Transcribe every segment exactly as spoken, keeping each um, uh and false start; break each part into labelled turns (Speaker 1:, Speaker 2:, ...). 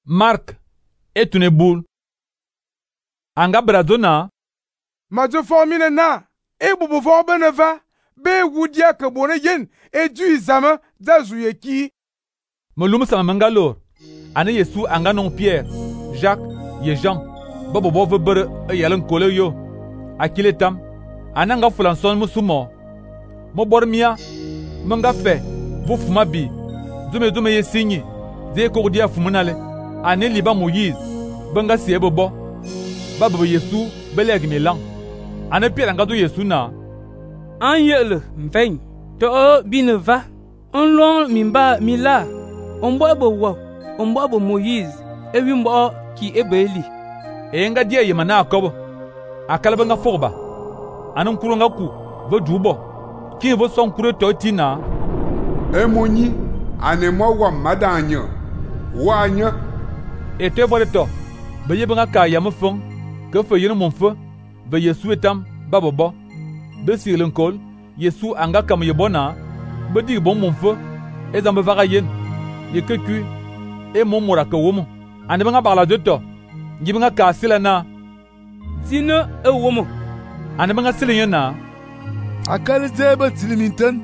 Speaker 1: Mark etune bul. Anga brazona.
Speaker 2: Mazo formine na. E bubu for beneva. Be wudia ke bone yen. E du izama da zuye ki.
Speaker 1: Molum sama mangalor. Ane Yesu anga non Pierre, Jacques, ye Jean. Bobo bo ve bere e yalen kole yo. Akile tam. Ananga fulanson musumo. Mo bormia. Manga fe. Vo fuma bi. Zume zume ye sinyi. Ze kodia fumunale. Ane liba Moïse. Banga siye bobo. Babo Yesu beleg milan. Ane Pierre anga do Yesu na.
Speaker 3: An yele mfein. To bineva. On lon mimba mila. On bo ebo wo. On bo ebo Moïse. Ewi mbo ki ebo Eli.
Speaker 1: E nga dia yemana akobo. Akalaba nga forba. Anan kuro nga ku. Vo dubo. Ki vo son kuro to tina.
Speaker 4: E moni. Ane mo wa madanyo. Wanya.
Speaker 1: E te vo de to. Be yebe nga ka yam fon. Ke fe yin mon fe. Be Yesu etam babobo. Be sirlen kol. Yesu anga kam yebona. Be di bon mon fe. E zambe vaga yen. Ye keku. E mon mora ke womo. Ane be nga parla de to. Ngibe nga ka sila na.
Speaker 3: Sino e womo.
Speaker 1: Ane be nga sila yen na.
Speaker 5: Akali zebe tiliminten.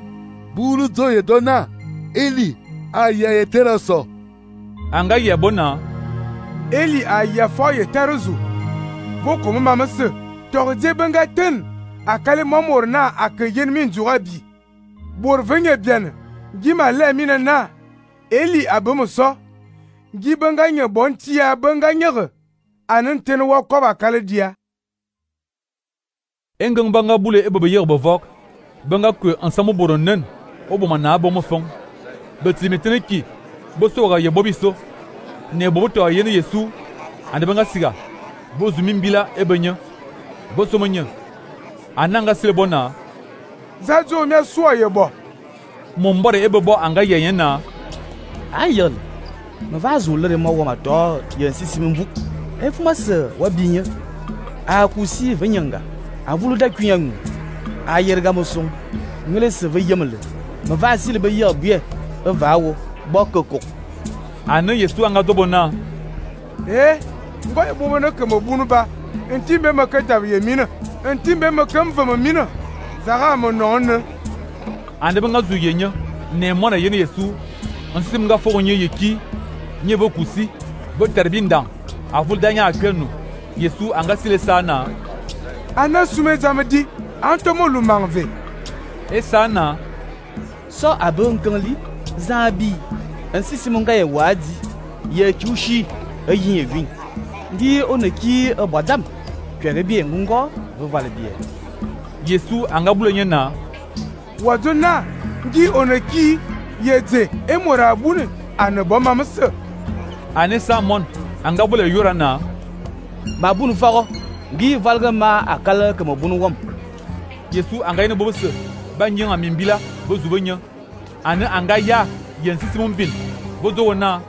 Speaker 5: Bulu to ye dona. Eli aya ye teraso.
Speaker 1: Anga yebona.
Speaker 2: Eli aya fo ye teruzu. Vo komo mamase. Torje benga ten. Akali momor na akayen min jurabi. Bor venye bien. Gima le mina na. Eli abomo so. Gi benga nye bon tia benga nyere. Anen ten wa koba kale dia.
Speaker 1: Engang banga bule e bebe yer bevok. Banga kwe ansamo boronen. Obo mana bomo fong. Betimitene ki. Boso ye bobiso. Ne bobo to yene Yesu. Ande banga siga. Bozu mimbila ebenya. Boso menya. Ananga silebona.
Speaker 2: Zazo me so ye bo.
Speaker 1: Mombore ebebo anga yeyen na.
Speaker 6: Ayel. Me va zulere mo wa mato ye sisimvu. E fuma se wa binya. A kusi venyanga. A vulu da kunyangu. A yerga mosong. Ngele se ve yemle. Me va sile be yer bie. E va wo bokoko.
Speaker 1: Ane Yesu anga dobona.
Speaker 2: Eh, ngoy bobo na ke mo bunu ba. Entimbe makata ye mina. Entimbe makam va mina. Zara mo non.
Speaker 1: Ande benga zuyenya. Ne mona yene Yesu. Ansim nga fo nye yeki. Nye bo kusi. Bo terbindan. Avul danya akwenu. Yesu anga sile sana.
Speaker 2: Ana sume zamedi. Antomo lumangve.
Speaker 1: E sana.
Speaker 6: So abon kanli. Zabi. Ansi simonga ye wadi. Ye chushi. E yin ye vin. Ndi oneki e badam. Kwere bien ngungo. Vo vale bien.
Speaker 1: Yesu anga bule nyena.
Speaker 2: Wadona. Ndi oneki. Yeze. E mora abune. Ane bo mamase.
Speaker 1: Ane samon. Anga bule yorana.
Speaker 6: Ma bunu fago. Gi valga ma akala ke mo bunu wom.
Speaker 1: Yesu anga yene bobose. Ba nyenga mimbila. Bo zubenya. Ane anga ya. Yensi simon bin. Bozo wana.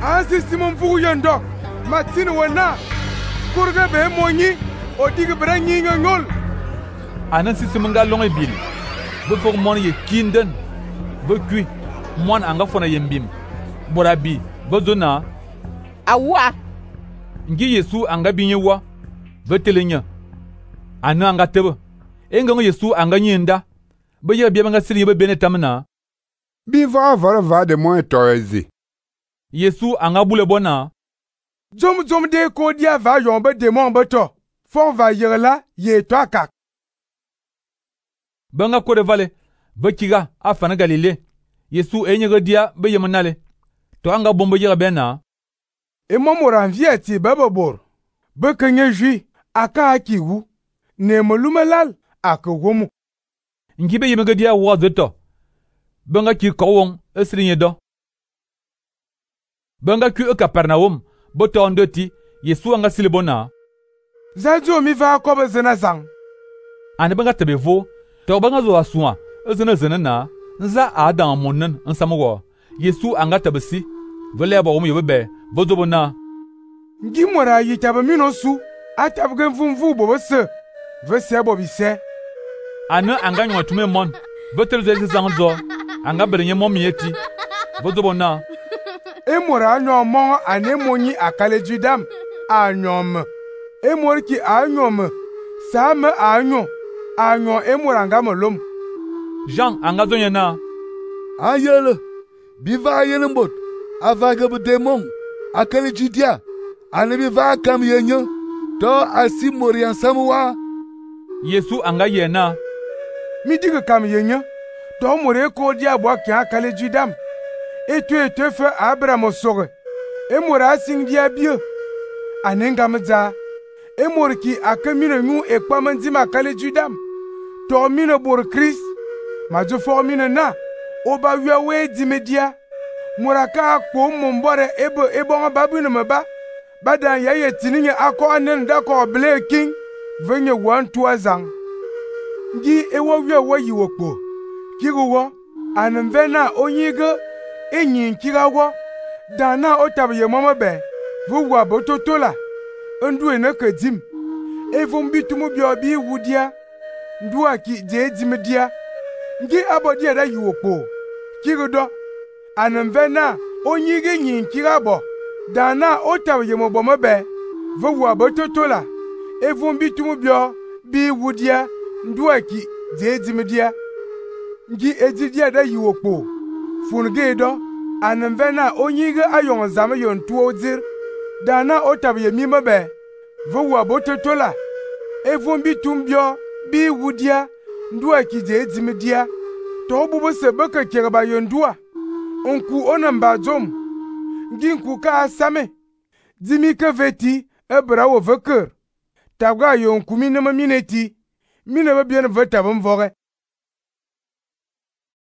Speaker 2: Ansi simon fugu yendo. Matini wana. Kurga be monyi. Odigi bra nyinga ngol.
Speaker 1: Anan si simonga longe bil. Bozo mon ye kinden. Bo kui. Mon anga fona yembim. Borabi. Bozo na.
Speaker 7: Awa.
Speaker 1: Ngi Yesu anga binye wa. Vetelenya. Anu anga tebe. Enga Yesu anga nyenda. Bo ye biya banga sili be benetamna.
Speaker 4: Biva vara va de mo etoezi.
Speaker 1: Yesu anga bule bona.
Speaker 2: Zom zom de ko dia va yombe demon beto. Fon va yerla ye to akak.
Speaker 1: Banga ko de vale. Bekiga afana Galile. Yesu enyega dia be yemanale. To anga bombo yega bena.
Speaker 2: E momora vieti babobor. Be kenye jui aka akiwu. Ne molumelal akawomu.
Speaker 1: Ngibe yemega dia wa zeto. Banga ki kowon esrinye do. Banga ki e Kapernaum boto ndoti Yesu anga silibona.
Speaker 2: Zajo mi va kobe zena zang.
Speaker 1: Ane banga tebevo to banga zo asua ezena zena na nza adam monnen nsamugo. Yesu anga tabesi vele ba omu yobebe bozo bona.
Speaker 2: Ngi mora yitaba minosu atabge vumvu bobose. Vese bobise.
Speaker 1: Ane anga nwa tume mon. Betel zezi zangzo. Anga berenye momi eti. Bozo bona.
Speaker 2: e mor a nyo mo ane monyi akale judam a nyo me e mor ki a nyo me sa me a nyo a nyo e mor anga molom.
Speaker 1: Jean anga zonye na
Speaker 5: Ayele, biva ayele mbot, avaga bu demon, akale judia, ane biva kam yenye, to asi morian samwa.
Speaker 1: Yesu anga ye na
Speaker 2: Mi diga kam yenye, to more ko dia bo ki akale judam. E tu e te fe Abraham soge. E mor a sing dia bio. Ane ngam za. E mor ki akamine nyu e kwamanzi makale judam. To mine bor Chris. Ma jo fo mine na. Oba wia we di media. Moraka ko mombore ebo ebo babu ne meba. Badan ya ye tininye akọ anen da ko ble king. Venye one two azang. Ngi ewo wia wo yiwo kpo. Kigo anmvena onyiga enyin kirawo. Dana otabe mama be. Vuwa bototola. Ndu ene kedim. Evum bitumu bi obi wudia. Ndu aki je dimedia. Ngi abodi ada yiwokpo. Kigodo. Anmvena onyiga nyin kirabo. Dana otabe yemobo mabe. Vuwa bototola. Evum bitumu bi wudia. Ndu aki je dimedia. Ngi ejidia da yiwokpo. Fungedo. Anmvena onyiga ayon zame yon tuo dir. Dana otabe yemima be. Vuwa bototola. Evum bitumbio bi wudia. Ndua ki je dimedia. To bubu se baka kiraba yondua. Onku onamba jom. Ngi nku ka asame. Dimi ke veti ebra wo veker. Tabga yon kumi nama mineti. Mine be bien veta bom vore.